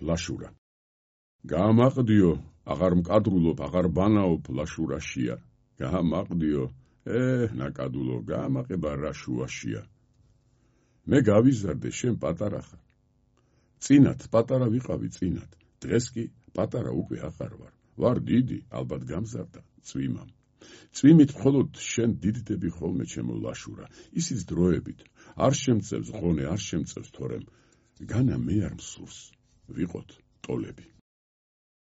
ლაშურა. გაამაყდიო, აღარ მკადრულობ, აღარ ბანაობ ლაშურაშია. გაამაყდიო, ნაკადულო, გაამაყება რა შუაშია. მე გავიზარდე, შენ პატარა ხარ. წინათ პატარა ვიყავი წინათ, დღეს კი პატარა უკვე აღარ ვარ. ვარ დიდი, ალბათ გამზარდა წვიმამ. წვიმით მხოლოდ შენ დიდდები ხოლმე ჩემო ლაშურა, ისიც დროებით, არ შემწევს ღონე, არ შემწევს თორემ, განა მე არ მსურს, ვიყოთ ტოლები.